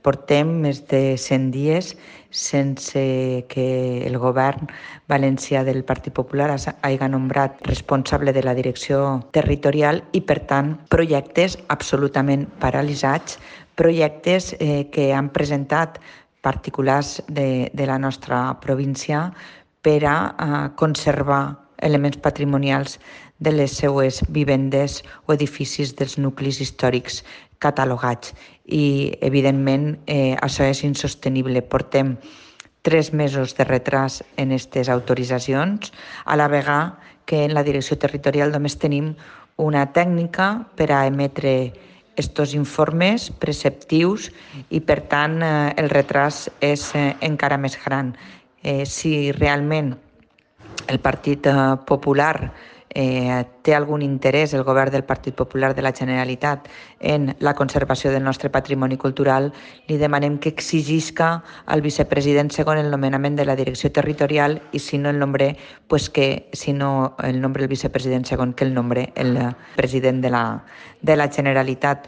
Portem més de 100 dies sense que el govern valencià del Partit Popular hagi nombrat responsable de la direcció territorial i, per tant, projectes absolutament paralitzats, projectes que han presentat particulars de la nostra província per a conservar elements patrimonials de les seues vivendes o edificis dels nuclis històrics catalogats. I, evidentment, això és insostenible. Portem 3 mesos de retras en aquestes autoritzacions, a la vegada que en la direcció territorial només tenim una tècnica per a emetre estos informes preceptius i, per tant, el retras és encara més gran. Si realment el Partit Popular té algun interès, el govern del Partit Popular de la Generalitat, en la conservació del nostre patrimoni cultural, li demanem que exigisca al vicepresident segon el nomenament de la direcció territorial i si no el nombre, pues que si no el nombre el vicepresident segon, que el nombre el president de la Generalitat.